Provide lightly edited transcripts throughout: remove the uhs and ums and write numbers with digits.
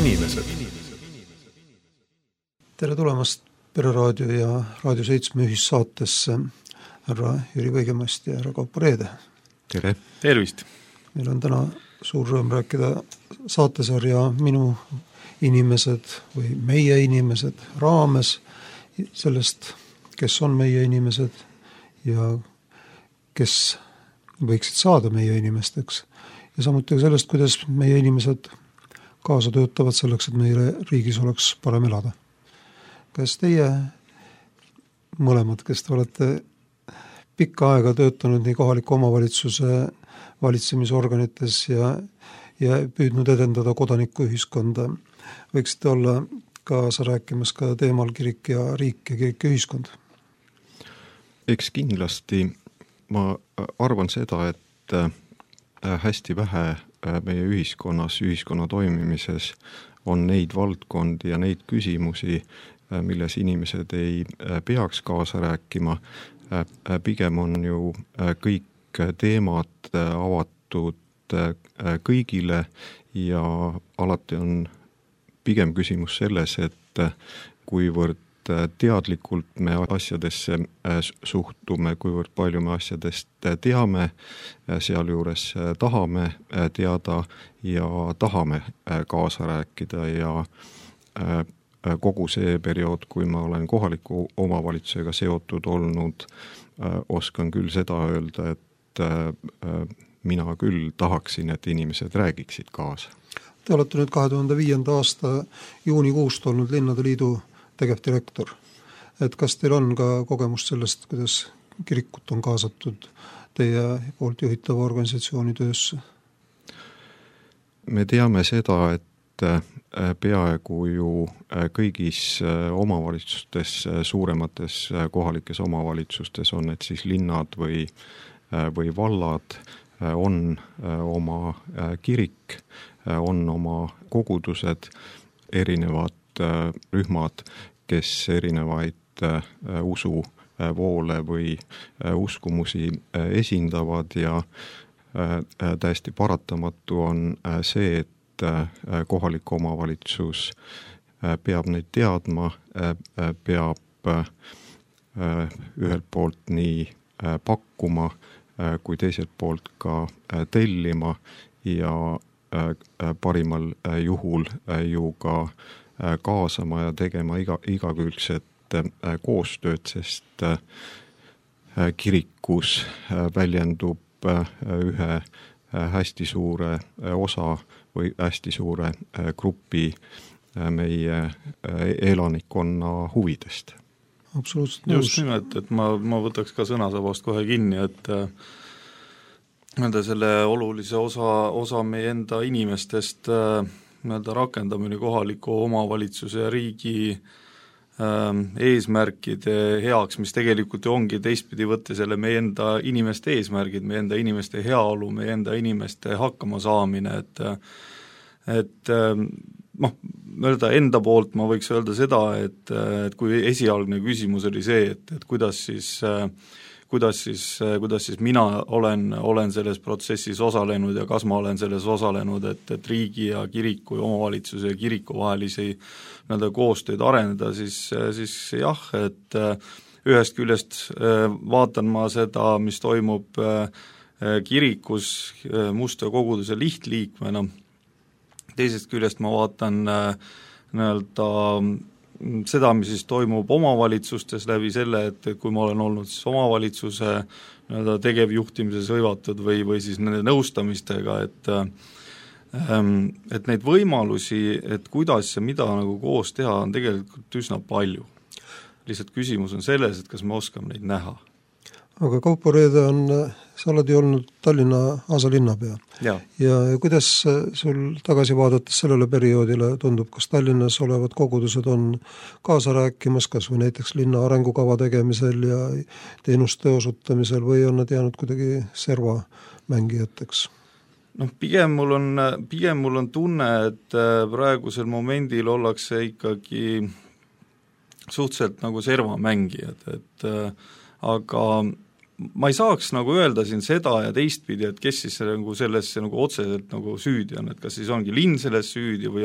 inimesed. Tere tulemast Pereraadio ja Raadio 7 ühissaatesse, härra Jüri Võigemast ja härra Kaupo Reede. Tere! Tervist! Meil on täna suur rõõm rääkida saatesarja Minu inimesed või Meie inimesed raames sellest, kes on meie inimesed ja kes võiksid saada meie inimesteks. Ja samuti sellest, kuidas meie inimesed kaasa töötavad selleks, et meile riigis oleks parem elada. Kas teie mõlemad, kes te olete pikka aega töötanud nii kohaliku omavalitsuse valitsemisorganites ja püüdnud edendada kodanikuühiskonda, võiksite olla kaasa rääkimas ka teemal kirik ja riik ja kirik ja ühiskond? Eks kindlasti ma arvan seda, et hästi vähe meie ühiskonna toimimises on neid valdkondi ja neid küsimusi, milles inimesed ei peaks kaasa rääkima. Pigem on ju kõik teemad avatud kõigile ja alati on pigem küsimus selles, et kuivõrd teadlikult me asjadesse suhtume, kuivõrd palju me asjadest teame, sealjuures tahame teada ja tahame kaasa rääkida ja kogu see periood, kui ma olen kohaliku omavalitsusega seotud olnud, oskan küll seda öelda, et mina küll tahaksin, et inimesed räägiksid kaasa. Te olete nüüd 2005. aasta juunikuust olnud Linnade Liidu tegevdirektor. Et kas teil on ka kogemus sellest, kuidas kirikut on kaasatud teie poolt juhitava organisatsiooni töösse? Me teame seda, et peaaegu ju kõigis omavalitsustes, suuremates kohalikes omavalitsustes, on need siis linnad või vallad, on oma kirik, on oma kogudused, erinevad rühmad, kes erinevaid usuvoole või uskumusi esindavad ja täiesti paratamatu on see, et kohalik omavalitsus peab neid teadma, peab ühelt poolt nii pakkuma kui teiselt poolt ka tellima ja parimal juhul ju ka kaasama ja tegema igakülgset koostööd, sest kirikus väljendub ühe hästi suure osa või hästi suure grupi meie elanikkonna huvidest. Absoluutselt just nimelt, et ma võtaks ka sõnasabast kohe kinni, et selle olulise osa meie enda inimestest rakendamine kohaliku omavalitsuse ja riigi eesmärkide heaks, mis tegelikult ju ongi teistpidi võtta selle meie enda inimeste eesmärgid, meie enda inimeste heaolu, meie enda inimeste hakkama saamine, et enda poolt ma võiks öelda seda, et kui esialgne küsimus oli see, et kuidas siis mina olen selles protsessis osalenud ja kas ma olen selles osalenud, et riigi ja kiriku ja omavalitsuse ja kiriku vahelisi koostööd arendada, siis jah, et ühest küljest vaatan ma seda, mis toimub kirikus Mustjõe koguduse lihtliikmena, teisest küljest ma vaatan seda, mis siis toimub omavalitsustes läbi selle, et kui ma olen olnud siis omavalitsuse tegevjuhtimises hõivatud või siis nende nõustamistega, et neid võimalusi, et kuidas ja mida koos teha, on tegelikult üsna palju. Lihtsalt küsimus on selles, et kas me oskame neid näha. Aga Kaupo Reede sa oled ju olnud Tallinna asalinnapea. Ja kuidas sul tagasi vaadates sellele perioodile tundub, kas Tallinnas olevad kogudused on kaasa rääkimas, kas või näiteks linna arengukava tegemisel ja teenuste osutamisel või on nad jäänud kuidagi serva mängijateks? Pigem mul on tunne, et praegusel momendil ollakse ikkagi suhteliselt servamängijad, aga ma ei saaks nagu öelda siin seda ja teistpidi, et kes siis nagu sellesse nagu otseselt nagu süüdi on, et kas siis ongi linn selles süüdi või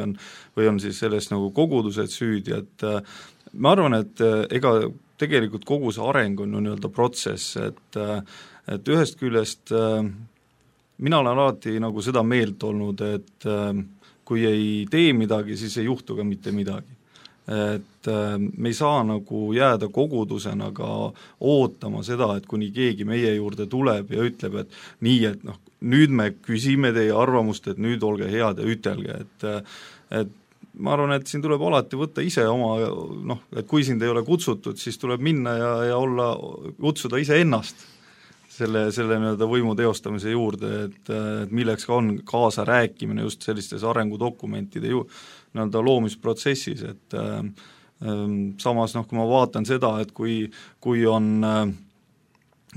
on siis selles nagu kogudused süüdi, et ma arvan, et ega tegelikult kogu see areng on nii-öelda protsess, et ühest küljest mina olen alati nagu seda meelt olnud, et kui ei tee midagi, siis ei juhtu ka mitte midagi. Et me ei saa nagu jääda kogudusena ka ootama seda, et kuni keegi meie juurde tuleb ja ütleb, et nii, et noh, nüüd me küsime teie arvamust, et nüüd olge head ja ütelge, et ma arvan, et siin tuleb alati võtta ise oma, noh, et kui sind ei ole kutsutud, siis tuleb minna ja kutsuda ise ennast selle nii-öelda võimu teostamise juurde, et milleks ka on kaasa rääkimine just sellistes arengudokumentide nii-öelda loomisprotsessis, et samas noh, kui ma vaatan seda, et kui on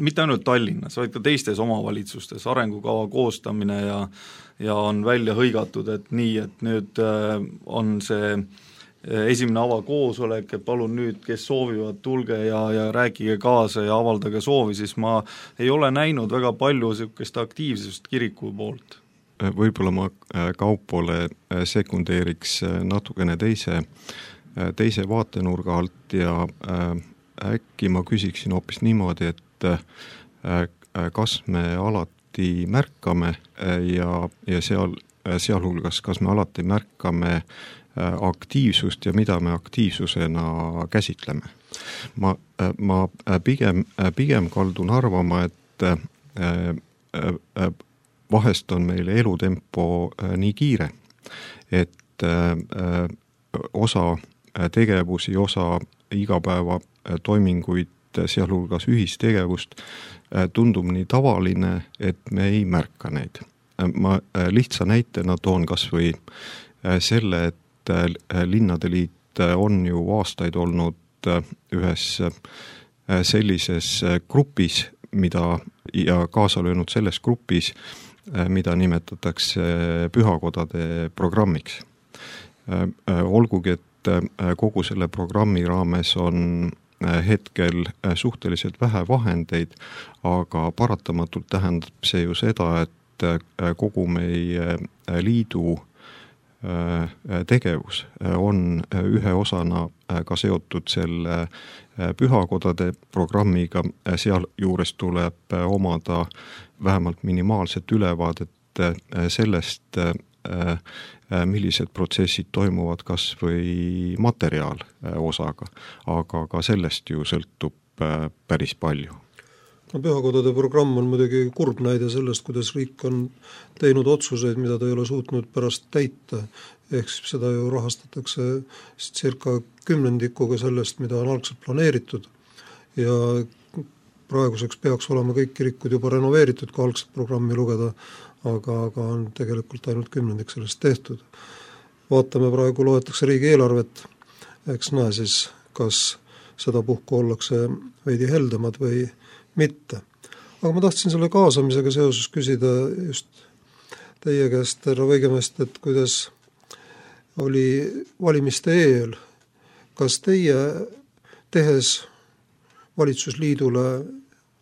mitte ainult Tallinnas, vaid ka teistes omavalitsustes arengukava koostamine ja on välja hõigatud, et nii, et nüüd on see esimene avakoosolek, et palun nüüd, kes soovivad, tulge ja rääkige kaasa ja avaldage soovi, siis ma ei ole näinud väga palju niisugust aktiivsust kiriku poolt. Võib-olla ma Kaupole sekundeeriks natukene teise vaatenurga alt ja äkki ma küsiksin hoopis niimoodi, et kas me alati märkame ja sealhulgas, kas me alati märkame aktiivsust ja mida me aktiivsusena käsitleme. Ma pigem kaldun arvama, et vahest on meil elutempo nii kiire, et osa tegevusi, osa igapäeva toiminguid, sealhulgas ühistegevust, tundub nii tavaline, et me ei märka neid. Ma lihtsa näitena toon kas või selle, et Linnade Liit on ju aastaid olnud ühes sellises grupis, ja kaasa löönud selles grupis, mida nimetatakse pühakodade programmiks. Olgugi, et kogu selle programmi raames on hetkel suhteliselt vähe vahendeid, aga paratamatult tähendab see ju seda, et kogu meie liidu tegevus on ühe osana ka seotud selle pühakodade programmiga, seal juures tuleb omada vähemalt minimaalset ülevaadet sellest, millised protsessid toimuvad kas või materiaal osaga, aga ka sellest ju sõltub päris palju. No, pühakodade programm on muidugi kurb näide sellest, kuidas riik on teinud otsuseid, mida ta ei ole suutnud pärast täita. Ehk seda ju rahastatakse circa 10% sellest, mida on algselt planeeritud. Ja praeguseks peaks olema kõik kirikud juba renoveeritud, kui algselt programmi lugeda, aga on tegelikult ainult 10% sellest tehtud. Vaatame praegu, loetakse riigieelarvet, eks näe siis, kas seda puhku ollakse veidi heldemad või mitte. Aga ma tahtsin selle kaasamisega seoses küsida just teie käest, härra Võigemest, et kuidas oli valimiste eel, kas teie tehes valitsusliidule,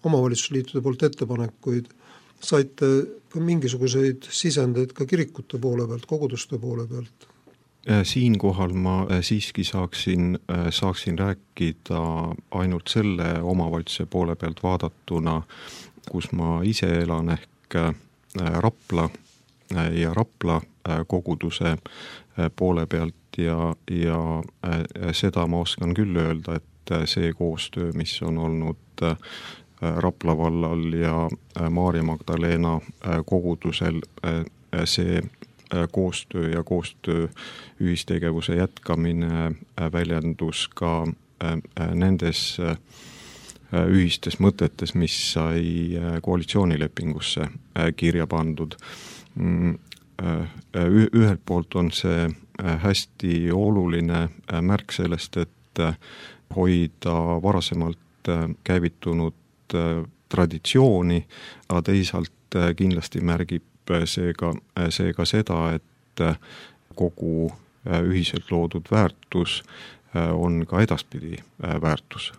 omavalitsusliitude poolt ettepanekuid, saite ka mingisuguseid sisendeid ka kirikute poole pealt, koguduste poole pealt? Siinkohal ma siiski saaksin rääkida ainult selle omavalitsuse poole pealt vaadatuna, kus ma ise elan, ehk Rapla ja Rapla koguduse poole pealt ja seda ma oskan küll öelda, et see koostöö, mis on olnud Rapla vallal ja Maarja Magdalena kogudusel, see koostöö ja koostöö ühistegevuse jätkamine väljendus ka nendes ühistes mõtetes, mis sai koalitsioonilepingusse kirja pandud. Ühelt poolt on see hästi oluline märk sellest, et hoida varasemalt käivitunud traditsiooni, aga teisalt kindlasti märgib seega seda, et kogu ühiselt loodud väärtus on ka edaspidi väärtus.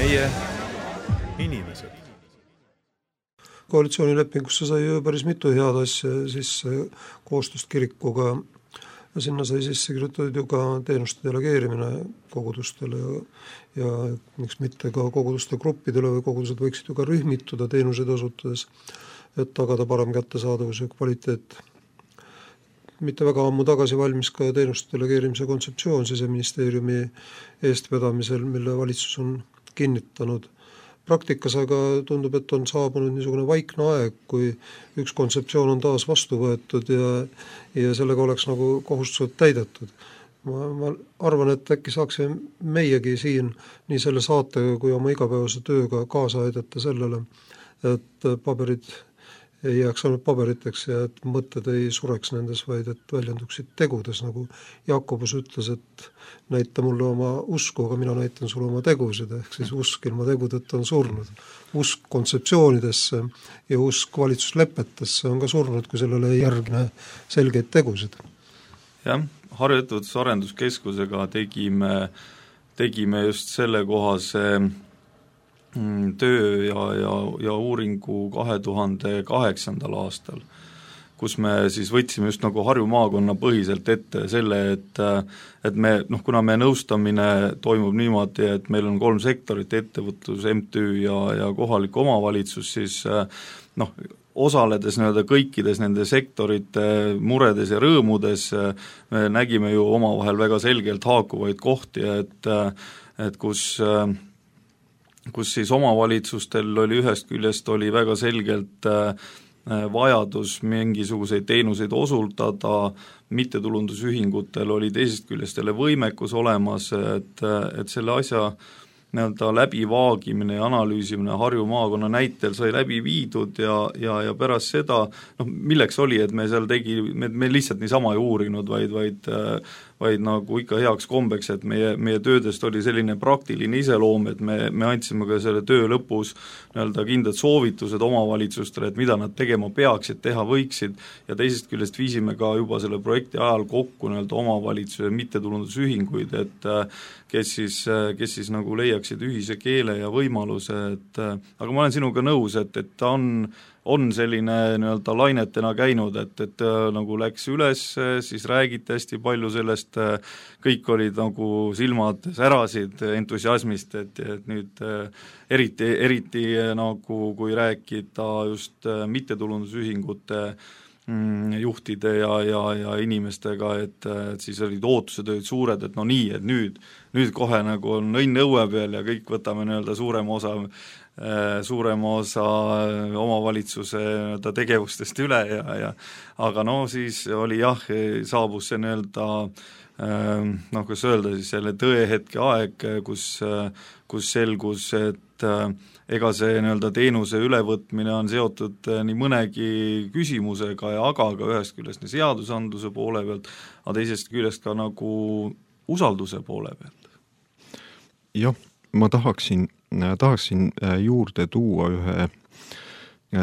meie inimesed. Koalitsioonilepingusse sai ju päris mitu head asja sisse koostust kirikuga ja sinna sai sisse kirjutatud ju ka teenuste delegeerimine kogudustele ja miks mitte ka koguduste gruppidele või kogudused võiksid ju ka rühmituda teenuseid osutades, et tagada parem kättesaadavus ja kvaliteet. Mitte väga ammu tagasi valmis ka teenuste delegeerimise kontseptsioon Siseministeeriumi eestvedamisel, mille valitsus on kinnitanud. Praktikas aga tundub, et on saabunud niisugune vaikne aeg, kui üks kontseptsioon on taas vastu võetud ja sellega oleks nagu kohustused täidetud. Ma arvan, et äkki saaksime meiegi siin nii selle saatega kui oma igapäevase tööga kaasa aidata sellele, et paberid ei jääks ainult paberiteks ja et mõtted ei sureks nendes, vaid et väljenduksid tegudes, nagu Jakobus ütles, et näita mulle oma usku, aga mina näitan sulle oma tegusid, ehk siis usk ilma tegudeta on surnud. Usk kontseptsioonidesse ja usk valitsuslepetesse on ka surnud, kui sellele ei järgne selgeid tegusid. Jah, Harju Ettevõtlusarenduskeskusega tegime just selle kohase töö ja uuringu 2008. aastal, kus me siis võtsime just nagu Harju maakonna põhiselt ette selle, et me, kuna me nõustamine toimub niimoodi, et meil on 3 sektorit, ettevõtlus, MTÜ ja kohalik omavalitsus, siis osaledes kõikides nende sektorite muredes ja rõõmudes me nägime ju omavahel väga selgelt haakuvaid kohti, et kus siis omavalitsustel oli ühest küljest oli väga selgelt vajadus mingisuguseid teenuseid osutada, mittetulundusühingutel oli teisest küljest jälle võimekus olemas, et selle asja läbivaagimine ja analüüsimine Harju maakonna näitel sai läbi viidud ja pärast seda, milleks oli, et me seal me lihtsalt niisama ei uurinud, vaid nagu ikka heaks kombeks, et meie töödest oli selline praktiline iseloom, et me andsime ka selle töö lõpus kindlad soovitused omavalitsustele, et mida nad tegema peaksid, teha võiksid ja teisest küljest viisime ka juba selle projekti ajal kokku omavalitsuse mittetulundusühinguid, et kes siis nagu leiaksid ühise keele ja võimaluse, aga ma olen sinuga nõus, et ta on selline lainetena käinud, et nagu läks üles, siis räägiti hästi palju sellest, kõik olid nagu silmad särasid entusiasmist, et nüüd eriti nagu kui rääkida just mittetulundusühingute juhtide ja inimestega, et siis olid ootused olid suured, et et nüüd kohe nagu on õnn õue peal ja kõik võtame suurema osa omavalitsuse tegevustest üle aga siis oli saabus see kuidas öelda siis selle tõehetke aeg, kus selgus, et ega see teenuse ülevõtmine on seotud nii mõnegi küsimusega aga ühest küljest seadusandluse poole pealt, aga teisest küljest ka nagu usalduse poole pealt. Jah, ma tahaksin juurde tuua ühe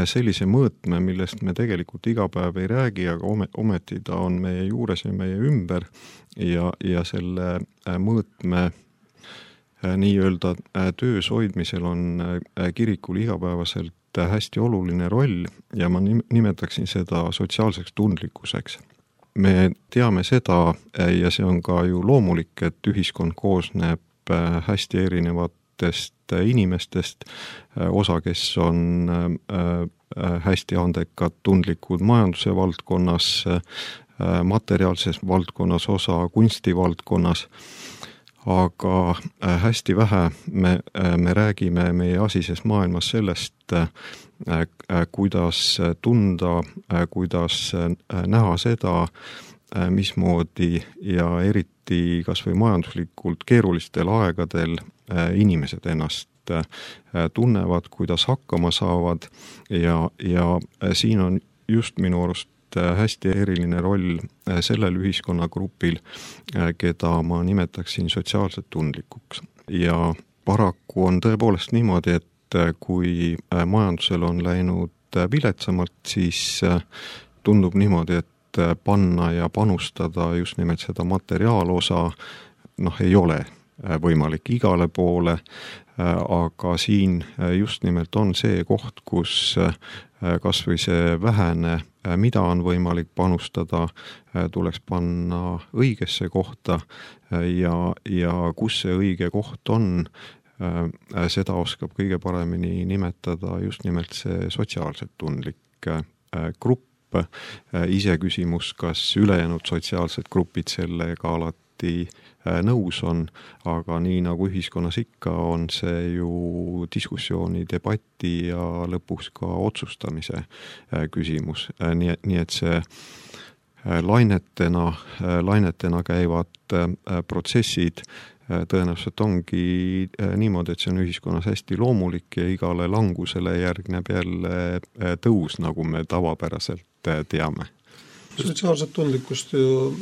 sellise mõõtme, millest me tegelikult iga päev ei räägi, aga ometi ta on meie juures ja meie ümber ja selle mõõtme nii-öelda töös hoidmisel on kirikul igapäevaselt hästi oluline roll ja ma nimetaksin seda sotsiaalseks tundlikkuseks. Me teame seda ja see on ka ju loomulik, et ühiskond koosneb hästi erinevatest inimestest, osa, kes on hästi andekad, tundlikud majanduse valdkonnas, materiaalses valdkonnas, osa kunstivaldkonnas, aga hästi vähe me räägime meie asises maailmas sellest, kuidas tunda, kuidas näha seda, mismoodi ja eriti kas või majanduslikult keerulistel aegadel inimesed ennast tunnevad, kuidas hakkama saavad ja siin on just minu arust hästi eriline roll sellel ühiskonnagrupil, keda ma nimetaksin sotsiaalselt tundlikuks. Ja paraku on tõepoolest niimoodi, et kui majandusel on läinud viletsamalt, siis tundub niimoodi, et panna ja panustada just nimelt seda materiaalosa ei ole võimalik igale poole, aga siin just nimelt on see koht, kus kas või see vähene, mida on võimalik panustada, tuleks panna õigesse kohta ja kus see õige koht on, seda oskab kõige paremini nimetada just nimelt see sotsiaalselt tundlik grupp. Iseküsimus, kas ülejäänud sotsiaalsed grupid sellega alati nõus on, aga nii nagu ühiskonnas ikka, on see ju diskussiooni, debati ja lõpuks ka otsustamise küsimus. Nii et see lainetena käivad protsessid tõenäoliselt ongi niimoodi, et see on ühiskonnas hästi loomulik ja igale langusele järgneb jälle tõus, nagu me tavapäraselt teame. Sotsiaalset tundlikkust ju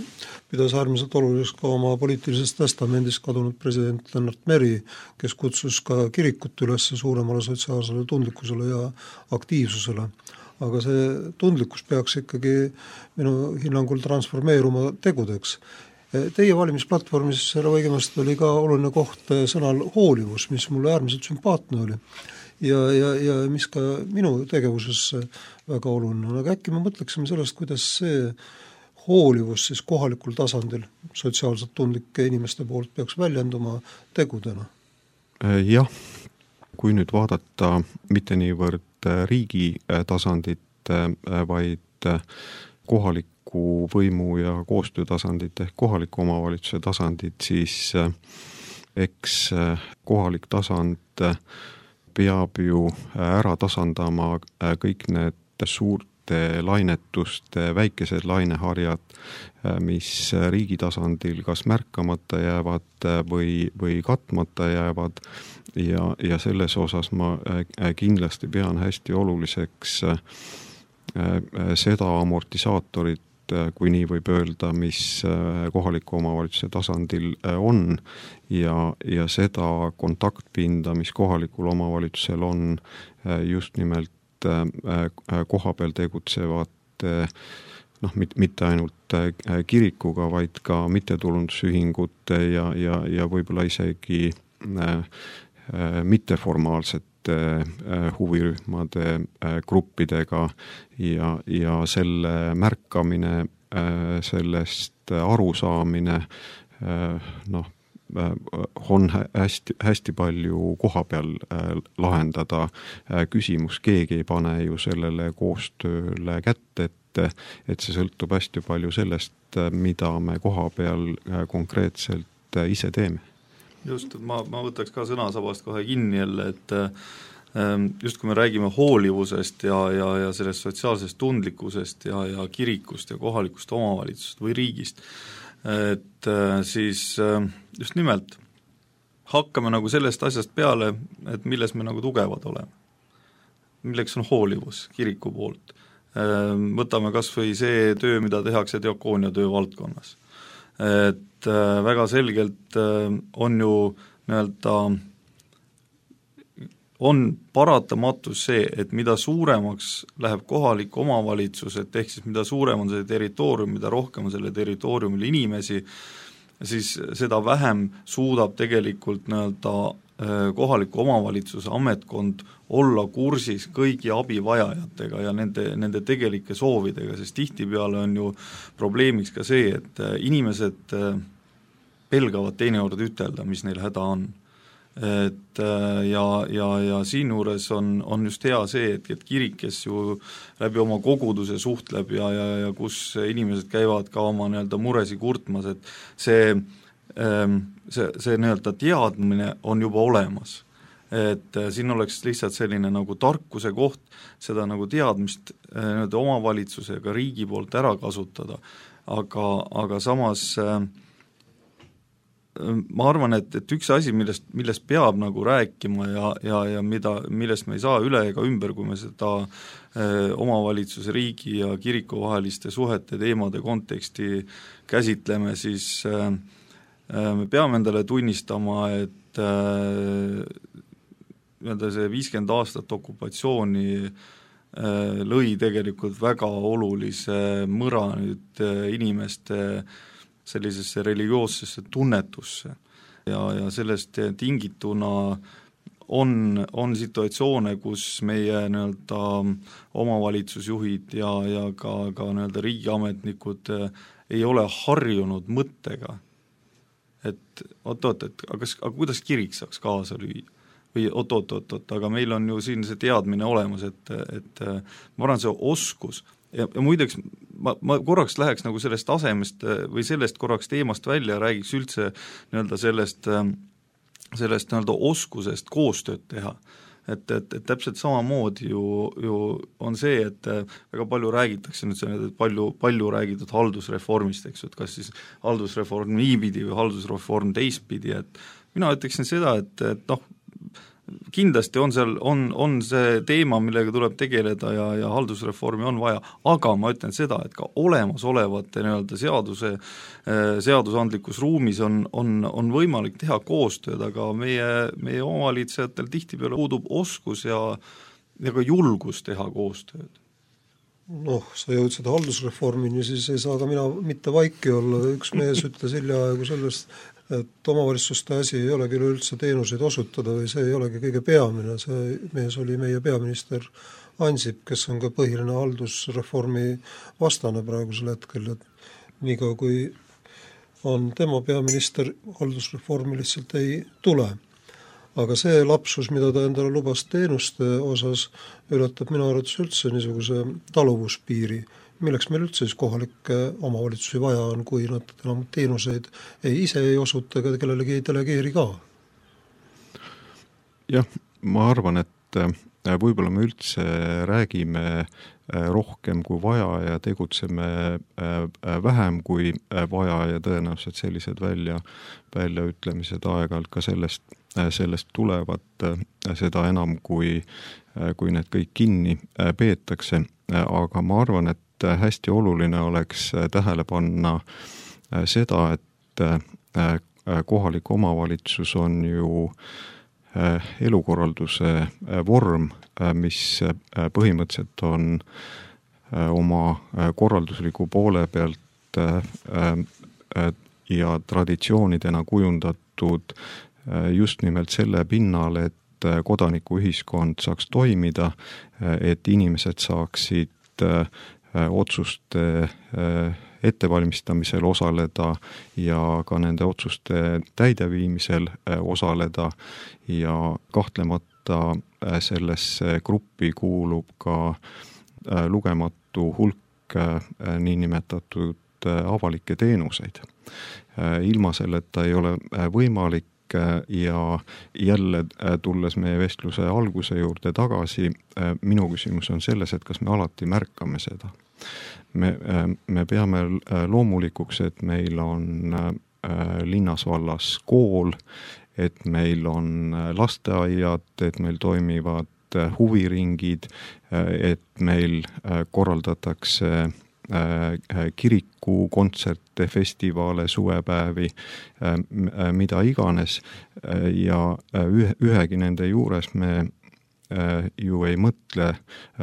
pidas äärmiselt oluliseks ka oma poliitilises testamendis kadunud president Lennart Meri, kes kutsus ka kirikut üles suuremale sotsiaalsele tundlikkusele ja aktiivsusele. Aga see tundlikkus peaks ikkagi minu hinnangul transformeeruma tegudeks. Teie valimisplatvormis, härra Võigemast, oli ka oluline koht sõnal hoolivus, mis mulle äärmiselt sümpaatne oli ja mis ka minu tegevuses väga oluline on. Aga äkki me mõtleksime sellest, kuidas see hoolivus siis kohalikul tasandil sotsiaalselt tundlike inimeste poolt peaks väljenduma tegudena? Jah, kui nüüd vaadata mitte niivõrd riigi tasandit, vaid kohaliku võimu ja koostöötasandit ehk kohaliku omavalitsuse tasandit, siis eks kohalik tasand peab ju ära tasandama kõik need suurte lainetuste väikesed laineharjad, mis riigi tasandil kas märkamata jäävad või katmata jäävad ja selles osas ma kindlasti pean hästi oluliseks seda amortisaatorit, kui nii võib öelda, mis kohaliku omavalitsuse tasandil on ja seda kontaktpinda, mis kohalikul omavalitsusel on just nimelt koha peal tegutsevate, mitte ainult kirikuga, vaid ka mittetulundusühingute ja võib-olla isegi mitteformaalsete huvirühmade gruppidega ja selle märkamine, sellest arusaamine, on hästi palju koha peal lahendada küsimus, keegi ei pane ju sellele koostööle kätte, et see sõltub hästi palju sellest, mida me koha peal konkreetselt ise teeme. Just, ma võtaks ka sõnasabast kohe kinni jälle, et just kui me räägime hoolivusest ja sellest sotsiaalsest tundlikkusest ja kirikust ja kohalikust omavalitsusest või riigist, et siis just nimelt hakkame nagu sellest asjast peale, et milles me nagu tugevad oleme. Milleks on hoolivus kiriku poolt. Võtame kas või see töö, mida tehakse diakoonia töö valdkonnas. Et väga selgelt on ju on paratamatus see, et mida suuremaks läheb kohalik omavalitsus, et ehk siis mida suurem on see territoorium, mida rohkem on selle territooriumil inimesi, siis seda vähem suudab tegelikult kohaliku omavalitsuse ametkond olla kursis kõigi abivajajatega ja nende tegelike soovidega, sest tihtipeale on ju probleemiks ka see, et inimesed pelgavad teinekord ütelda, mis neil häda on. Et ja siin juures on just hea see, et kirik, kes ju läbi oma koguduse suhtleb ja kus inimesed käivad ka oma muresi kurtmas, et see teadmine on juba olemas. Et siin oleks lihtsalt selline nagu tarkuse koht, seda nagu teadmist omavalitsuse ja ka riigi poolt ära kasutada, aga samas ma arvan, et üks asi, millest peab nagu rääkima ja millest me ei saa üle ega ümber, kui me seda omavalitsuse, riigi ja kiriku vaheliste suhete teemade konteksti käsitleme, siis me peame endale tunnistama, et see 50 aastat okupatsiooni lõi tegelikult väga olulise mõra nüüd inimeste sellisesse religioossesse tunnetusse ja sellest tingituna on situatsioone, kus meie nii-öelda omavalitsusjuhid ja ka nii-öelda riigiametnikud ei ole harjunud mõttega, et oot, aga kuidas kirik saaks kaasa lüüa? Või oot, aga meil on ju siin see teadmine olemas, et ma arvan, see oskus ja muideks ma korraks läheks nagu sellest tasemest või sellest korraks teemast välja ja räägiks üldse nii-öelda sellest nii-öelda oskusest koostööd teha. Et täpselt samamoodi ju on see, et väga palju räägitakse nüüd see, palju räägitud haldusreformist, eks, et kas siis haldusreform niipidi või haldusreform teistpidi, et mina ütleksin seda, et noh, kindlasti on see teema, millega tuleb tegeleda ja haldusreformi on vaja, aga ma ütlen seda, et ka olemasolevate nii-öelda seadusandlikus ruumis on võimalik teha koostööd, aga meie omavalitsejatel tihtipeale puudub oskus ja ka julgus teha koostööd. Noh, sa jõudsid haldusreformini, siis ei saa ka mina mitte vaiki olla, üks mees ütles hiljaaegu sellest, et omavalitsuste asi ei olegi üldse teenuseid osutada või see ei olegi kõige peamine, see mees oli meie peaminister Ansip, kes on ka põhiline haldusreformi vastane praegusel hetkel, et niikaua kui on tema peaminister, haldusreformi lihtsalt ei tule. Aga see lapsus, mida ta endale lubas teenuste osas, ületab minu arvates üldse niisuguse taluvuspiiri, milleks meil üldse siis kohalikke omavalitsusi vaja on, kui nad enam teenuseid ise ei osuta, ega kellelegi ei delegeeri ka. Jah, ma arvan, et võib-olla me üldse räägime rohkem kui vaja ja tegutseme vähem kui vaja ja tõenäoliselt sellised väljaütlemised aeg-ajalt ka sellest tulevad, seda enam kui need kõik kinni peetakse, aga ma arvan, et hästi oluline oleks tähele panna seda, et kohalik omavalitsus on ju elukorralduse vorm, mis põhimõtteliselt on oma korraldusliku poole pealt ja traditsioonidena kujundatud just nimelt selle pinnal, et kodanikuühiskond saaks toimida, et inimesed saaksid otsuste ettevalmistamisel osaleda ja ka nende otsuste täideviimisel osaleda ja kahtlemata sellesse gruppi kuulub ka lugematu hulk niinimetatud avalikke teenuseid. Ilma selleta ei ole võimalik ja jälle tulles meie vestluse alguse juurde tagasi, minu küsimus on selles, et kas me alati märkame seda. Me peame loomulikuks, et meil on linnas vallas kool, et meil on lasteaiad, et meil toimivad huviringid, et meil korraldatakse kiriku, kontserte, festivale, suvepäevi, mida iganes ja ühegi nende juures me ju ei mõtle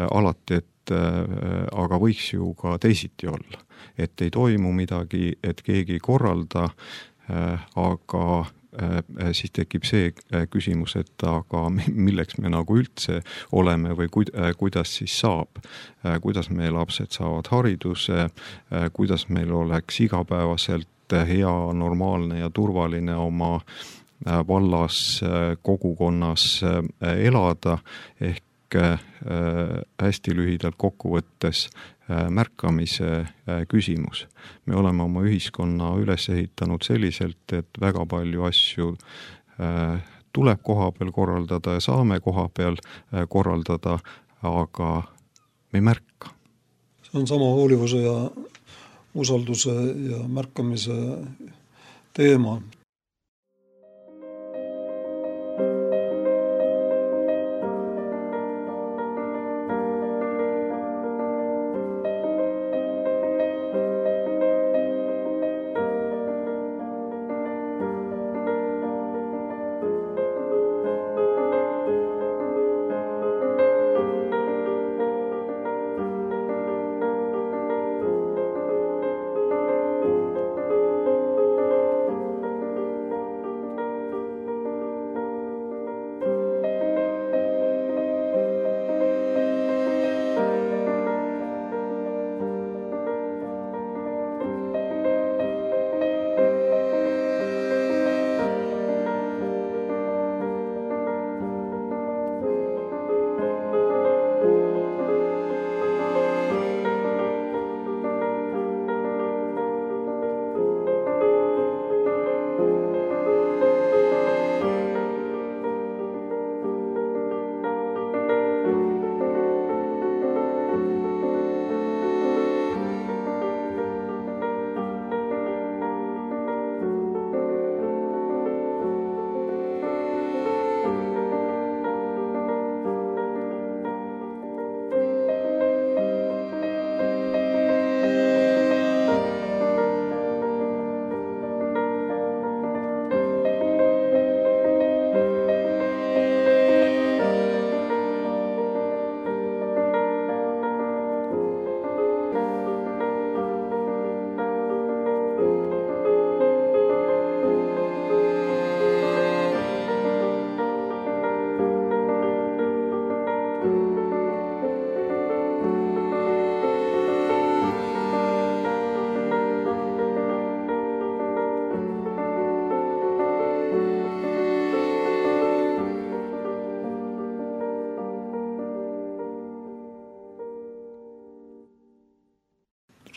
alati, et aga võiks ju ka teisiti olla. Et ei toimu midagi, et keegi ei korralda, aga siis tekib see küsimus, et aga milleks me nagu üldse oleme või kuidas siis saab, kuidas meie lapsed saavad hariduse, kuidas meil oleks igapäevaselt hea, normaalne ja turvaline oma vallas, kogukonnas elada, ehk hästi lühidalt kokkuvõttes märkamise küsimus. Me oleme oma ühiskonna üles ehitanud selliselt, et väga palju asju tuleb koha peal korraldada ja saame koha peal korraldada, aga me ei märka. See on sama hoolivuse ja usalduse ja märkamise teema.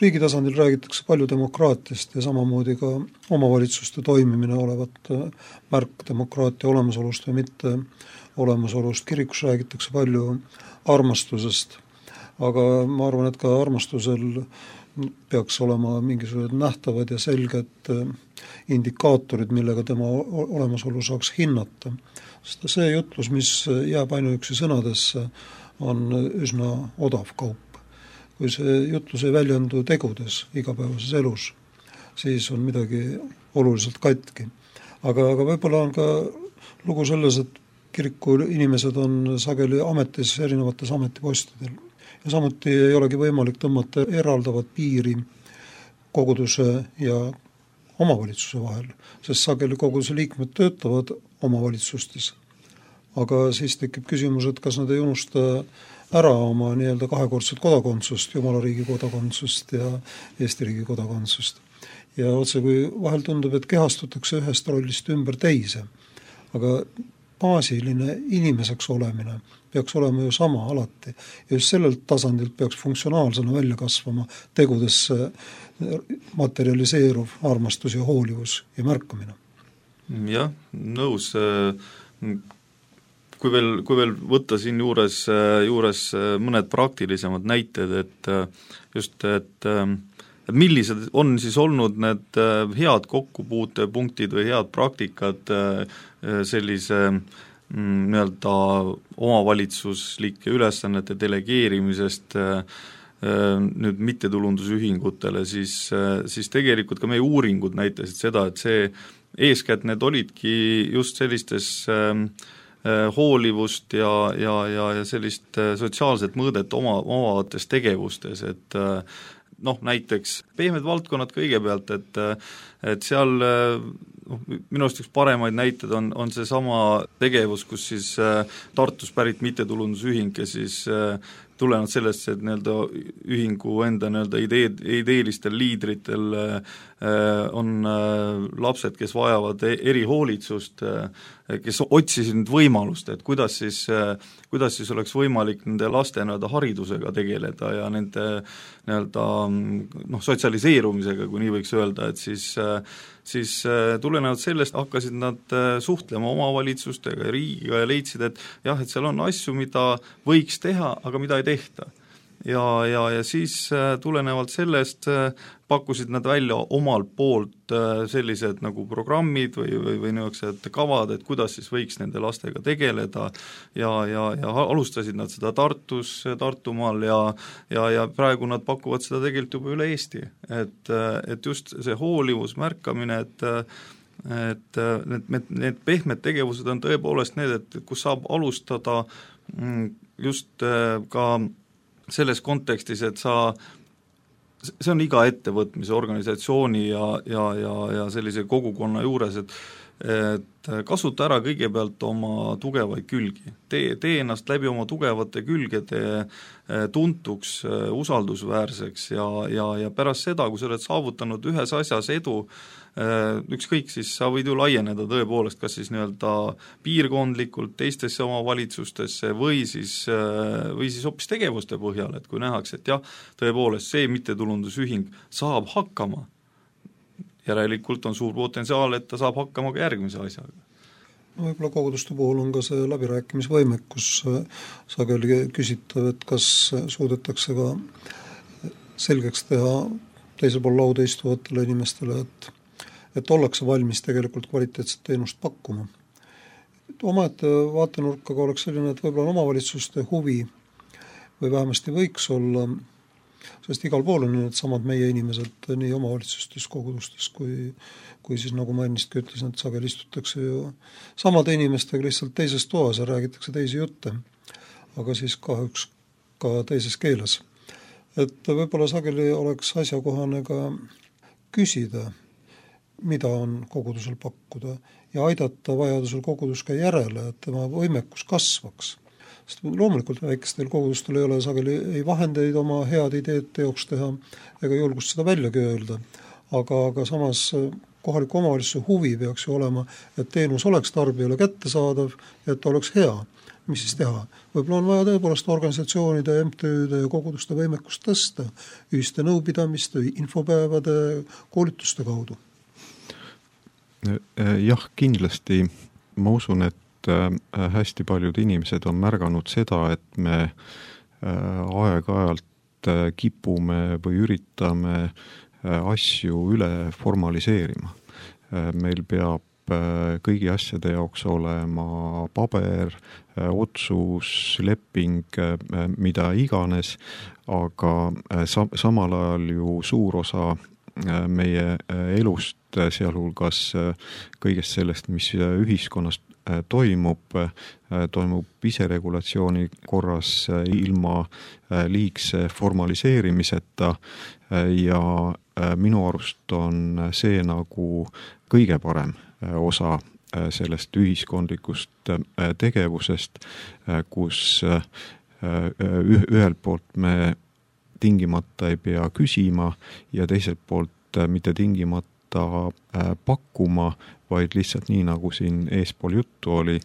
riigi tasandil räägitakse palju demokraatiast ja samamoodi ka omavalitsuste toimimine olevat märk demokraatia olemasolust või mitte olemasolust. Kirikus räägitakse palju armastusest, aga ma arvan, et ka armastusel peaks olema mingisugused nähtavad ja selged indikaatorid, millega tema olemasolu saaks hinnata. Sest see jutlus, mis jääb ainuüksi sõnadesse, on üsna odav kaup. Kui see jutlus ei väljendu tegudes igapäevases elus, siis on midagi oluliselt katki. Aga võib-olla on ka lugu selles, et kiriku inimesed on sageli ametis erinevates ametipostidel. Ja samuti ei olegi võimalik tõmmata eraldavat piiri koguduse ja omavalitsuse vahel, sest sageli koguduse liikmed töötavad omavalitsustes. Aga siis tekib küsimus, et kas nad ei unusta ära oma nii-öelda kahekordset kodakondsust, Jumala riigi kodakondsust ja Eesti riigi kodakondsust. Ja otse kui vahel tundub, et kehastutakse ühest rollist ümber teise, aga baasiline inimeseks olemine peaks olema ju sama alati. Ja just sellelt tasandilt peaks funktsionaalsena välja kasvama tegudesse materialiseeruv armastus ja hoolivus ja märkamine. Jah, nõus. Kui veel võtta siin juures mõned praktilisemad näited, et millised on siis olnud need head kokkupuutepunktid või head praktikad sellise nii-öelda omavalitsuslike ülesannete delegeerimisest nüüd mittetulundusühingutele, siis tegelikult ka meie uuringud näitasid seda, et see eeskätt need olidki just sellistes hoolivust ja sellist sotsiaalset mõõdet omavates tegevustes, et näiteks pehmed valdkonnad kõigepealt, et seal minu arust üks paremaid näited on see sama tegevus, kus siis Tartus pärit mittetulundusühing, kes siis tulenevalt sellest, et nii-öelda ühingu enda nii-öelda ideelistel liidritel on lapsed, kes vajavad erihoolitsust, kes otsisid nüüd võimalust, et kuidas siis oleks võimalik nende laste nii-öelda haridusega tegeleda ja nende nii-öelda sotsialiseerumisega, kui nii võiks öelda, et siis tulenevalt sellest hakkasid nad suhtlema omavalitsustega ja riigiga ja leidsid, et jah, et seal on asju, mida võiks teha, aga mida ei tehta. Ja siis tulenevalt sellest pakkusid nad välja omalt poolt sellised nagu programmid või niisugused kavad, et kuidas siis võiks nende lastega tegeleda ja alustasid nad seda Tartumaal ja praegu nad pakuvad seda tegelikult juba üle Eesti. Et just see hoolivus, märkamine, et need pehmed tegevused on tõepoolest need, et kus saab alustada just ka selles kontekstis, et see on iga ettevõtmise, organisatsiooni ja sellise kogukonna juures, et kasuta ära kõigepealt oma tugevaid külgi. Tee ennast läbi oma tugevate külgede tuntuks, usaldusväärseks ja pärast seda, kui sa oled saavutanud ühes asjas edu, ükskõik siis sa võid ju laieneda tõepoolest, kas siis nii-öelda piirkondlikult teistesse omavalitsustesse või siis hoopis tegevuste põhjal, et kui nähakse, et jah, tõepoolest see mittetulundusühing saab hakkama, järelikult on suur potentsiaal, et ta saab hakkama ka järgmise asjaga. Võib-olla koguduste puhul on ka see läbirääkimisvõimekus sageli küsitav, et kas suudetakse ka selgeks teha teisel pool lauda istuvatele inimestele, et ollakse valmis tegelikult kvaliteetset teenust pakkuma. Omaette vaatenurkaga oleks selline, et võib-olla omavalitsuste huvi või vähemasti võiks olla, sest igal pool on need samad meie inimesed nii omavalitsustes, kogudustes kui siis nagu ma ennistki ütlesin, et sageli istutakse ju samade inimestega lihtsalt teises toas ja räägitakse teisi jutte, aga siis kahjuks ka teises keeles. Et võib-olla sageli oleks asjakohane ka küsida, mida on kogudusel pakkuda ja aidata vajadusel kogudus ka järele, et tema võimekus kasvaks. Sest loomulikult väikestel kogudustel ei ole sageli ei vahendeid oma head ideed teoks teha ega julgust seda väljagi öelda, aga samas kohaliku omavalitsuse huvi peaks ju olema, et teenus oleks tarbijale kättesaadav ja et oleks hea. mis siis teha? Võib-olla on vaja tõepoolest organisatsioonide, MTÜ-de ja koguduste võimekust tõsta ühiste nõupidamiste, infopäevade, koolituste kaudu. Jah, kindlasti ma usun, et hästi paljud inimesed on märganud seda, et me aeg-ajalt kipume või üritame asju üle formaliseerima. Meil peab kõigi asjade jaoks olema paber, otsus, leping, mida iganes, aga samal ajal ju suur osa meie elust, sealhulgas kõigest sellest, mis ühiskonnas toimub iseregulatsiooni korras ilma liigse formaliseerimiseta ja minu arust on see nagu kõige parem osa sellest ühiskondlikust tegevusest, kus ühelt poolt me tingimata ei pea küsima ja teiselt poolt mitte tingimata pakkuma, vaid lihtsalt nii, nagu siin eespool juttu oli,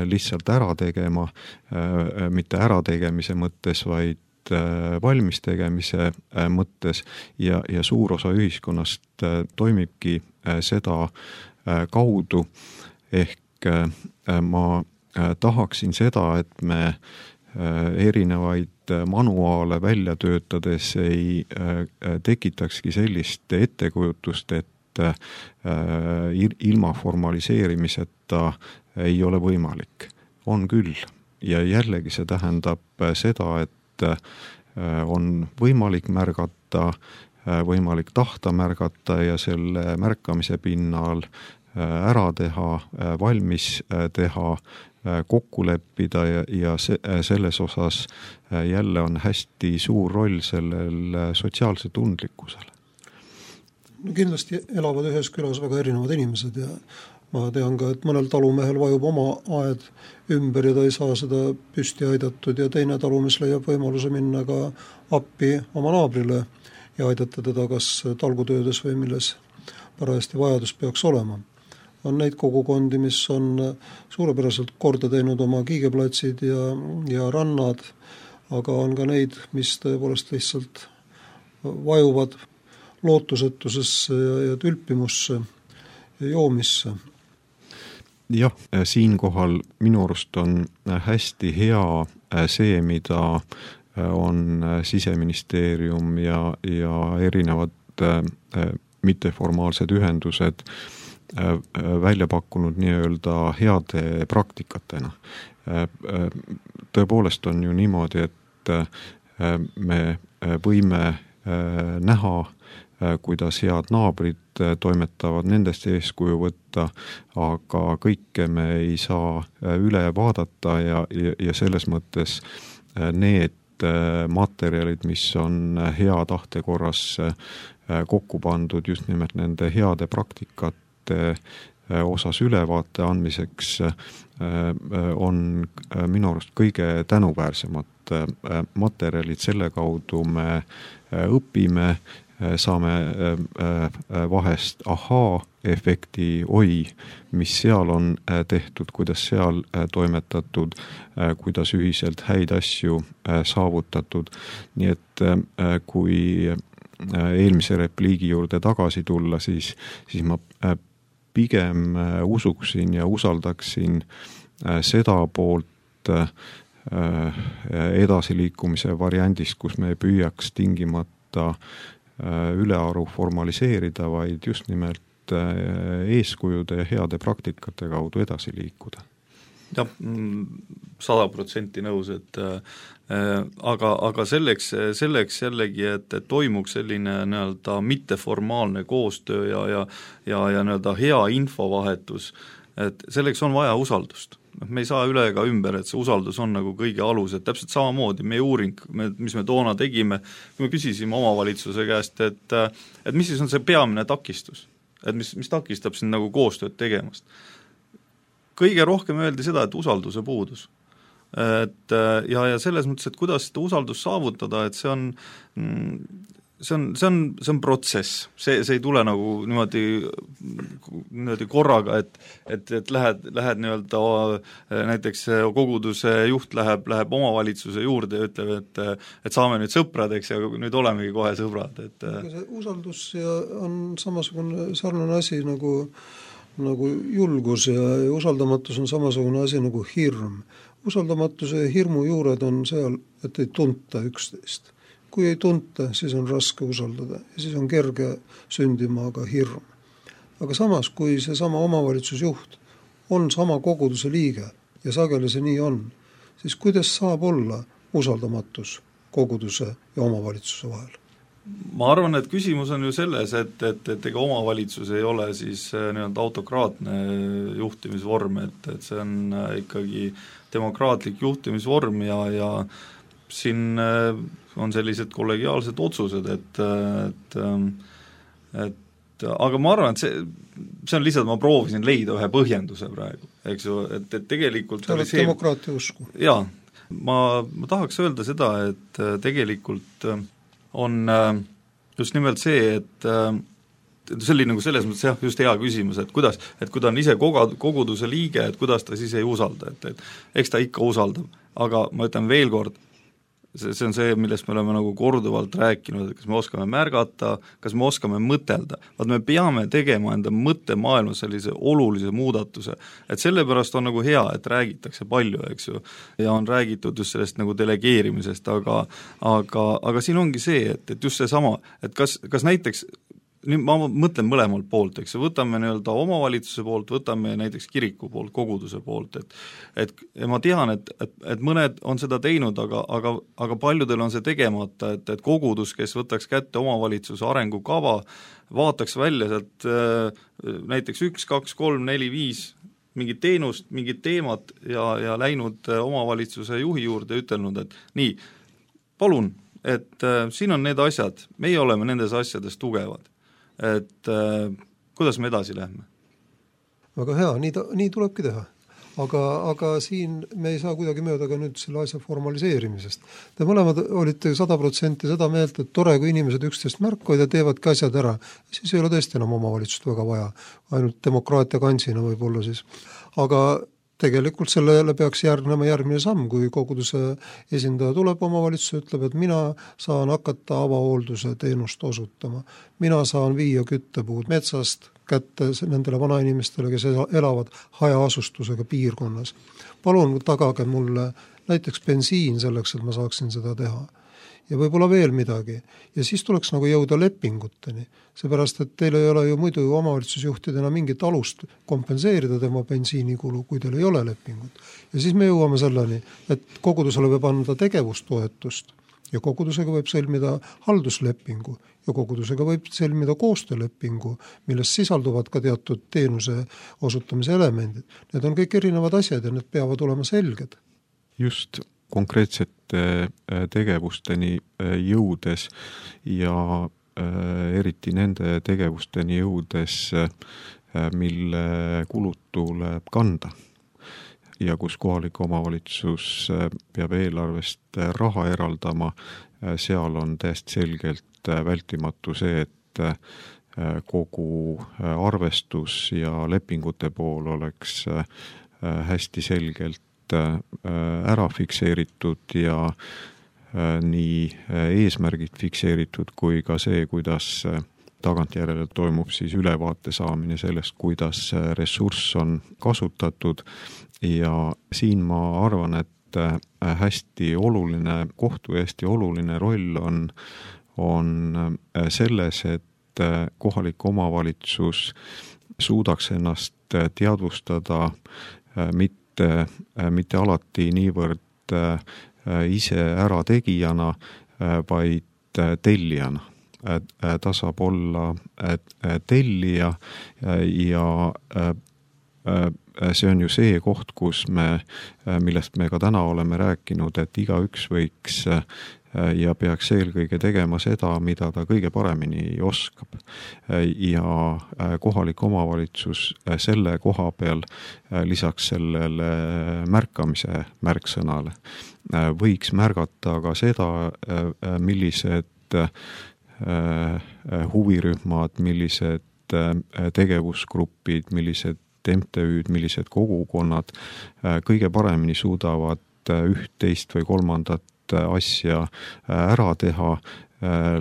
lihtsalt ära tegema, mitte ärategemise mõttes, vaid valmis tegemise mõttes ja suur osa ühiskonnast toimibki seda kaudu, ehk ma tahaksin seda, et me erinevaid manuaale välja töötades ei tekitakski sellist ettekujutust, et ilma formaliseerimiseta ei ole võimalik. On küll. Ja jällegi see tähendab seda, et on võimalik märgata, võimalik tahta märgata ja selle märkamise pinnal ära teha, valmis teha, kokku leppida ja selles osas jälle on hästi suur roll sellel sotsiaalse tundlikkusel. No kindlasti elavad ühes külas väga erinevad inimesed ja ma tean ka, et mõnel talumehel vajub oma aed ümber ja ta ei saa seda püsti aidatud ja teine talumees leiab võimaluse minna ka appi oma naabrile ja aidata teda kas talgutöödes või milles parajasti vajadus peaks olema. On neid kogukondi, mis on suurepäraselt korda teinud oma kiigeplatsid ja rannad, aga on ka neid, mis tõepoolest lihtsalt vajuvad lootusetusesse ja tülpimusse ja joomisse. Jah, siinkohal minu arust on hästi hea see, mida on Siseministeerium ja erinevad mitteformaalsed ühendused välja pakkunud nii-öelda heade praktikatena. Tõepoolest on ju niimoodi, et me võime näha, kuidas head naabrid toimetavad, nendest eeskuju võtta, aga kõike me ei saa üle vaadata ja selles mõttes need materjalid, mis on hea tahte korras kokku pandud just nimelt nende heade praktikate osas ülevaate andmiseks, on minu arust kõige tänuväärsemad materjalid, selle kaudu me õpime, saame vahest ahaa-efekti, mis seal on tehtud, kuidas seal toimetatud, kuidas ühiselt häid asju saavutatud. Nii et kui eelmise repliigi juurde tagasi tulla, siis ma pigem usuksin ja usaldaksin seda poolt edasiliikumise variandist, kus me ei püüaks tingimata ülearu formaliseerida, vaid just nimelt eeskujude ja heade praktikate kaudu edasi liikuda. Jah, 100% nõus, et aga selleks jällegi, et toimuks selline nii-öelda mitteformaalne koostöö ja nii-öelda hea infovahetus, et selleks on vaja usaldust. Me ei saa üle ega ümber, et see usaldus on nagu kõige alus, et täpselt samamoodi meie uuring, mis me toona tegime, kui me küsisime omavalitsuse käest, et mis siis on see peamine takistus, et mis takistab siin nagu koostööd tegemast. Kõige rohkem öeldi seda, et usalduse puudus. Ja selles mõttes, et kuidas seda usaldust saavutada, et see see on protsess, see ei tule nagu niimoodi korraga, et lähed nii-öelda näiteks koguduse juht läheb omavalitsuse juurde ja ütleb, et saame nüüd sõpradeks ja nüüd olemegi kohe sõbrad, et see usaldus on samasugune sarnane asi nagu julgus ja usaldamatus on samasugune asi nagu hirm. Usaldamatuse ja hirmu juured on seal, et ei tunta üksteist. Kui ei tunta, siis on raske usaldada ja siis on kerge sündima aga hirm. Aga samas, kui see sama omavalitsusjuht on sama koguduse liige ja sageli see nii on, siis kuidas saab olla usaldamatus koguduse ja omavalitsuse vahel? Ma arvan, et küsimus on ju selles, et ega omavalitsus ei ole siis nii-öelda autokraatne juhtimisvorm, et see on ikkagi demokraatlik juhtimisvorm ja siin on sellised kollegiaalsed otsused, et aga ma arvan, et see on lihtsalt, ma proovisin leida ühe põhjenduse praegu, eks ju, et tegelikult see oled demokraatia usku. Jaa, ma tahaks öelda seda, et tegelikult on just nimelt see, et see oli nagu selles mõttes jah, just hea küsimus, et kui ta on ise koguduse liige, et kuidas ta siis ei usalda, et eks ta ikka usaldab, aga ma ütlen veel kord, see on see, millest me oleme nagu korduvalt rääkinud, et kas me oskame märgata, kas me oskame mõtelda, vaat me peame tegema enda mõttemaailma sellise olulise muudatuse, et sellepärast on nagu hea, et räägitakse palju, eks ju, ja on räägitud just sellest nagu delegeerimisest, aga siin ongi see, et just see sama, et kas näiteks nüüd ma mõtlen mõlemalt poolt, eks, võtame nii-öelda omavalitsuse poolt, võtame näiteks kiriku poolt, koguduse poolt, et ma tean, et mõned on seda teinud, aga paljudel on see tegemata, et kogudus, kes võtaks kätte omavalitsuse arengukava, vaataks välja sealt näiteks 1, 2, 3, 4, 5 mingit teenust, mingit teemat ja läinud omavalitsuse juhi juurde ja ütelnud, et nii, palun, et siin on need asjad, meie oleme nendes asjades tugevad. Et kuidas me edasi lähme? Väga hea, nii tulebki teha. Aga siin me ei saa kuidagi mööda ka nüüd selle asja formaliseerimisest. Te mõlemad olite 100% seda meelt, et tore, kui inimesed üksteist märkavad ja teevadki asjad ära. Siis ei ole tõesti enam omavalitsust väga vaja, ainult demokraatia kansina võib olla siis. Aga tegelikult sellele peaks järgnema järgmine samm, kui koguduse esindaja tuleb omavalitsuse, ütleb, et mina saan hakata avahoolduse teenust osutama. Mina saan viia küttepuud metsast kätte nendele vanainimestele, kes elavad hajaasustusega piirkonnas. Palun tagage mulle näiteks bensiin selleks, et ma saaksin seda teha. Ja võib-olla veel midagi. Ja siis tuleks nagu jõuda lepinguteni. Seepärast, et teil ei ole ju muidu omavalitsusjuhtidena mingit alust kompenseerida tema bensiinikulu, kui teil ei ole lepingut. Ja siis me jõuame selleni, et kogudusele võib anda tegevustoetust ja kogudusega võib sõlmida halduslepingu ja kogudusega võib sõlmida koostöölepingu, milles sisalduvad ka teatud teenuse osutamise elemendid. Need on kõik erinevad asjad ja need peavad olema selged. Just konkreetsete tegevusteni jõudes ja eriti nende tegevusteni jõudes, mille kulud tuleb kanda ja kus kohalik omavalitsus peab eelarvest raha eraldama, seal on täiesti selgelt vältimatu see, et kogu arvestus ja lepingute pool oleks hästi selgelt ära fikseeritud ja nii eesmärgid fikseeritud kui ka see, kuidas tagantjärele toimub siis ülevaate saamine sellest, kuidas ressurss on kasutatud ja siin ma arvan, et hästi oluline koht või hästi oluline roll on selles, et kohalik omavalitsus suudaks ennast teadvustada mitte alati niivõrd ise ära tegijana, vaid tellijana. Ta saab olla tellija ja see on ju see koht, millest me ka täna oleme rääkinud, et igaüks võiks ja peaks eelkõige tegema seda, mida ta kõige paremini oskab. Ja kohalik omavalitsus selle koha peal lisaks sellele märkamise märksõnale võiks märgata ka seda, millised huvirühmad, millised tegevusgrupid, millised MTÜ-d, millised kogukonnad kõige paremini suudavad üht, teist või kolmandat asja ära teha,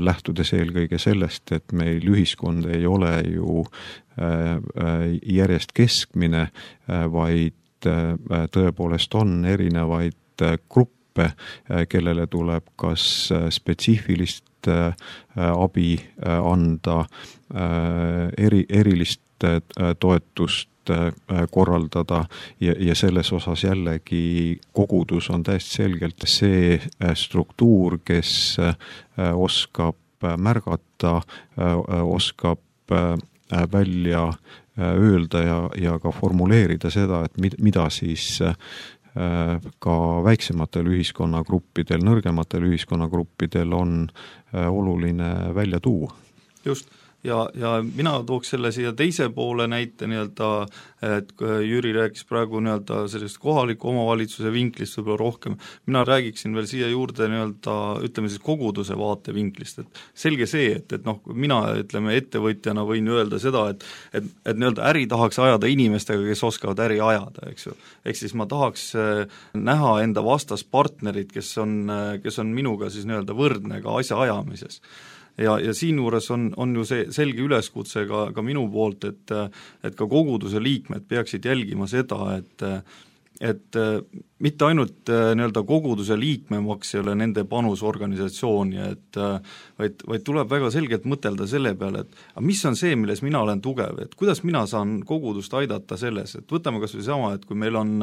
lähtudes eelkõige sellest, et meil ühiskond ei ole ju järjest keskmine, vaid tõepoolest on erinevaid gruppe, kellele tuleb kas spetsiifilist abi anda, erilist toetust korraldada ja selles osas jällegi kogudus on täiesti selgelt see struktuur, kes oskab märgata, oskab välja öelda ja ka formuleerida seda, et mida siis ka väiksematel ühiskonnagruppidel, nõrgematel ühiskonnagruppidel on oluline välja tuua. Just. Ja mina tooks selle siia teise poole näite nii-öelda, et Jüri rääkis praegu nii-öelda sellest kohaliku omavalitsuse vinklist võib-olla rohkem, mina räägiksin veel siia juurde nii-öelda, ütleme siis koguduse vaate vinklist, et selge see, et mina ütleme ettevõtjana võin öelda seda, et nii-öelda äri tahaks ajada inimestega, kes oskavad äri ajada, eks ju. Ehk siis ma tahaks näha enda vastaspartnerit, kes on minuga siis nii-öelda võrdne ka asja ajamises. Ja siin juures on ju see selge üleskutse ka minu poolt, et ka koguduse liikmed peaksid jälgima seda, et mitte ainult nii-öelda koguduse liikmemaks ei ole nende panus organisatsiooni, vaid tuleb väga selgelt mõtelda selle peale, et mis on see, milles mina olen tugev, et kuidas mina saan kogudust aidata selles, et võtame kas või sama, et kui meil on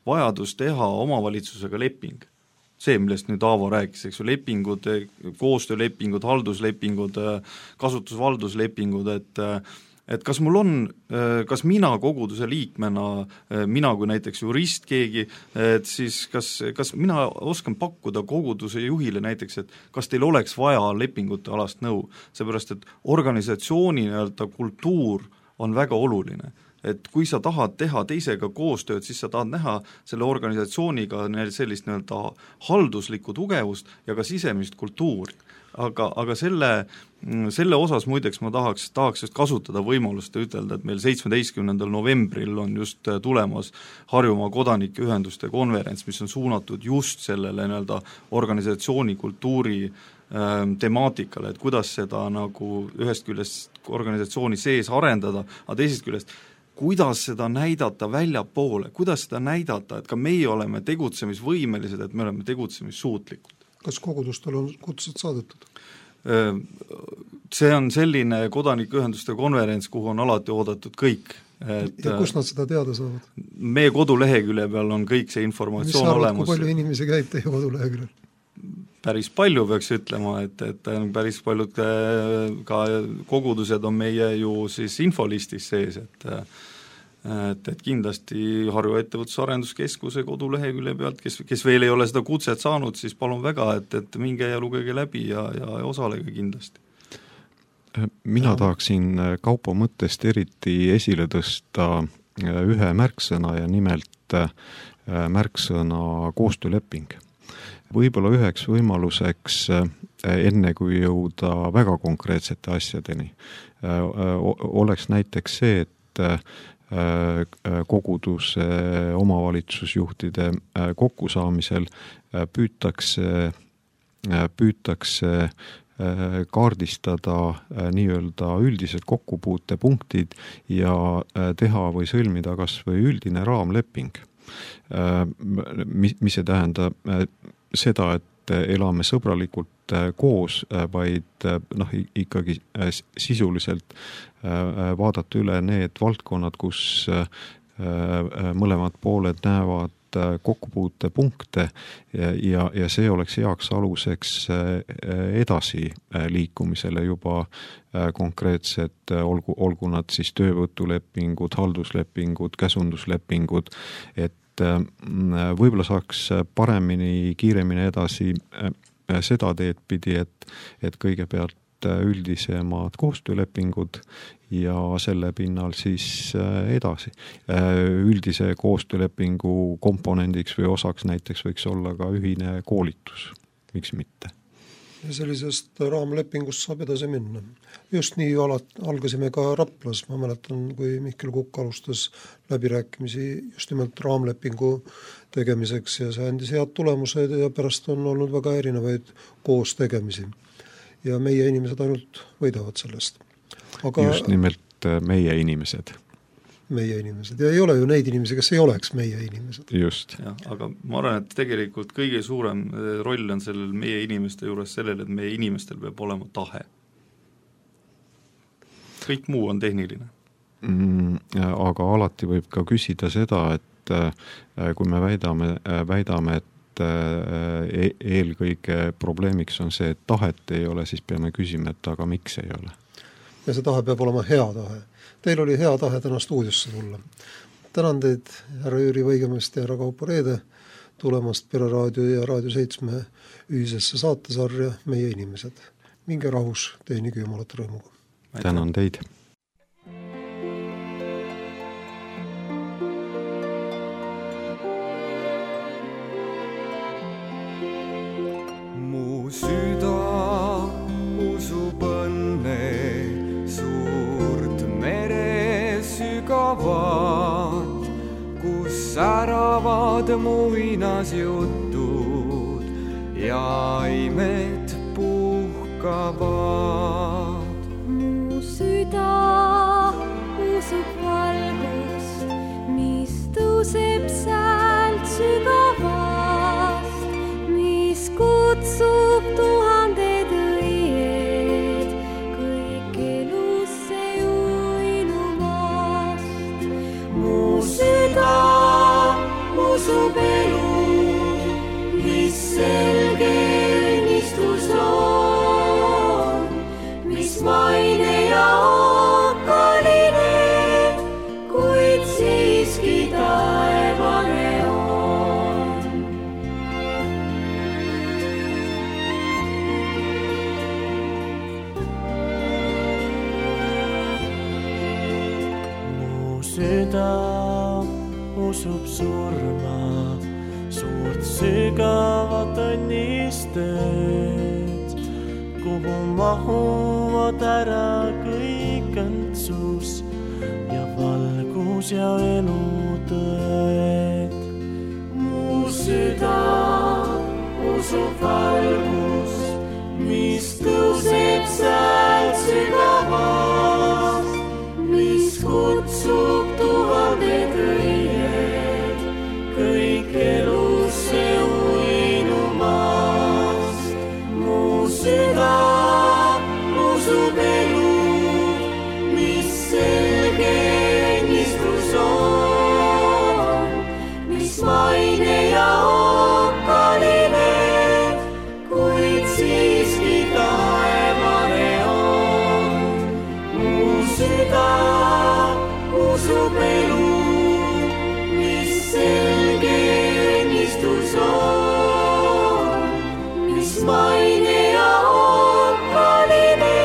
vajadus teha omavalitsusega leping, see, millest nüüd Aavo rääkis, eks ju, lepingud, koostöölepingud, halduslepingud, kasutusvalduslepingud, et kas mul on, kas mina koguduse liikmena, mina kui näiteks jurist keegi, et siis kas mina oskan pakkuda koguduse juhile näiteks, et kas teil oleks vaja lepingute alast nõu, seepärast et organisatsiooni nii-öelda kultuur on väga oluline. Et kui sa tahad teha teisega koostööd, siis sa tahad näha selle organisatsiooniga sellist nii-öelda halduslikku tugevust ja ka sisemist kultuuri. Aga selle osas muideks ma tahaks just kasutada võimalust ja ütelda, et meil 17. novembril on just tulemas Harjumaa kodanikeühenduste konverents, mis on suunatud just sellele nii-öelda organisatsiooni kultuuri temaatikale, et kuidas seda nagu ühest küljest organisatsiooni sees arendada, aga teisest küljest kuidas seda näidata väljapoole, kuidas seda näidata, et ka meie oleme tegutsemisvõimelised, et me oleme tegutsemissuutlikud. Kas kogudustel on kutsed saadetud? See on selline kodanikeühenduste konverents, kuhu on alati oodatud kõik. Ja kus nad seda teada saavad? Meie kodulehekülje peal on kõik see informatsioon olemas. Kui palju inimesi käib teie koduleheküljel? Päris palju peaks ütlema, et päris paljud ka kogudused on meie ju siis infolistis sees, et kindlasti Harju ettevõtlusarenduskeskuse kodulehekülje pealt, kes veel ei ole seda kutset saanud, siis palun väga, et minge ja lugege läbi ja osalege kindlasti. Mina tahaksin Kaupo mõttest eriti esile tõsta ühe märksõna ja nimelt märksõna koostööleping. Võib-olla üheks võimaluseks, enne kui jõuda väga konkreetsete asjadeni, oleks näiteks see, et koguduse omavalitsusjuhtide kokkusaamisel püütakse kaardistada nii-öelda üldised kokkupuutepunktid ja teha või sõlmida kas või üldine raamleping. Mis see tähendab? Seda, et elame sõbralikult koos, vaid ikkagi sisuliselt vaadata üle need valdkonnad, kus mõlemad pooled näevad kokkupuutepunkte ja see oleks heaks aluseks edasi liikumisele juba konkreetsed, olgu nad siis töövõtulepingud, halduslepingud, käsunduslepingud, et võib-olla saaks paremini, kiiremini edasi seda teed pidi, et kõigepealt üldisemad koostöölepingud ja selle pinnal siis edasi. Üldise koostöölepingu komponendiks või osaks näiteks võiks olla ka ühine koolitus, miks mitte? ja sellisest raamlepingust saab edasi minna. Just nii algasime ka Raplas, ma mäletan, kui Mihkel Kukk alustas läbirääkimisi just nimelt raamlepingu tegemiseks ja see andis head tulemused ja pärast on olnud väga erinevaid koos tegemisi. Ja meie inimesed ainult võidavad sellest. Aga just nimelt meie inimesed. Meie inimesed. Ja ei ole ju neid inimesi, kes ei oleks meie inimesed. Just. Ja, aga ma arvan, et tegelikult kõige suurem roll on sellel meie inimeste juures sellel, et meie inimestel peab olema tahe. Kõik muu on tehniline. Aga alati võib ka küsida seda, et kui me väidame, et eelkõige probleemiks on see, et tahet ei ole, siis peame küsima, et aga miks ei ole? Ja see tahe peab olema hea tahe. Teil oli hea tahe täna stuudiosse tulla. Tänan teid, härra Jüri Võigemest ja härra Kaupo Reede, tulemast Pere Raadio ja Raadio 7 ühisesse saatesarja Meie inimesed. Minge rahus, teenige Jumalat rõõmuga. Tänan teid. Mu süda usub õnne suurt mere sügavat, kus säravad muinasjutud ja imed puhkavad. Mu süda usub valgust, mis tõuseb säält sügavast, mis kutsub tuhanded õied kõik elusse uinumast. Mu süda usub elu, mis selge õnnistus on, mis maine ja okkaline, kuid siiski taevane on. Mu süda usub surma, suurt sügavat õnnistet, kuhu mahuvad ära kõik õndsus ja valgus ja elutõed. Mu süda usub valgust, mis tõuseb säält sügavast, mis kutsub tuhanded õied kõik elusse uinumast. Mu süda usub elu, mis selge õnnistus on, mis maine ja okkaline, kuid siiski taevane on. Mu süda usub elu, mis selge õnnistus on, mis maine ja okkaline,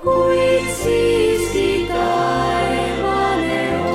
kuid siiski taevane on.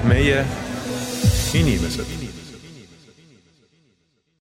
Meie inimesed.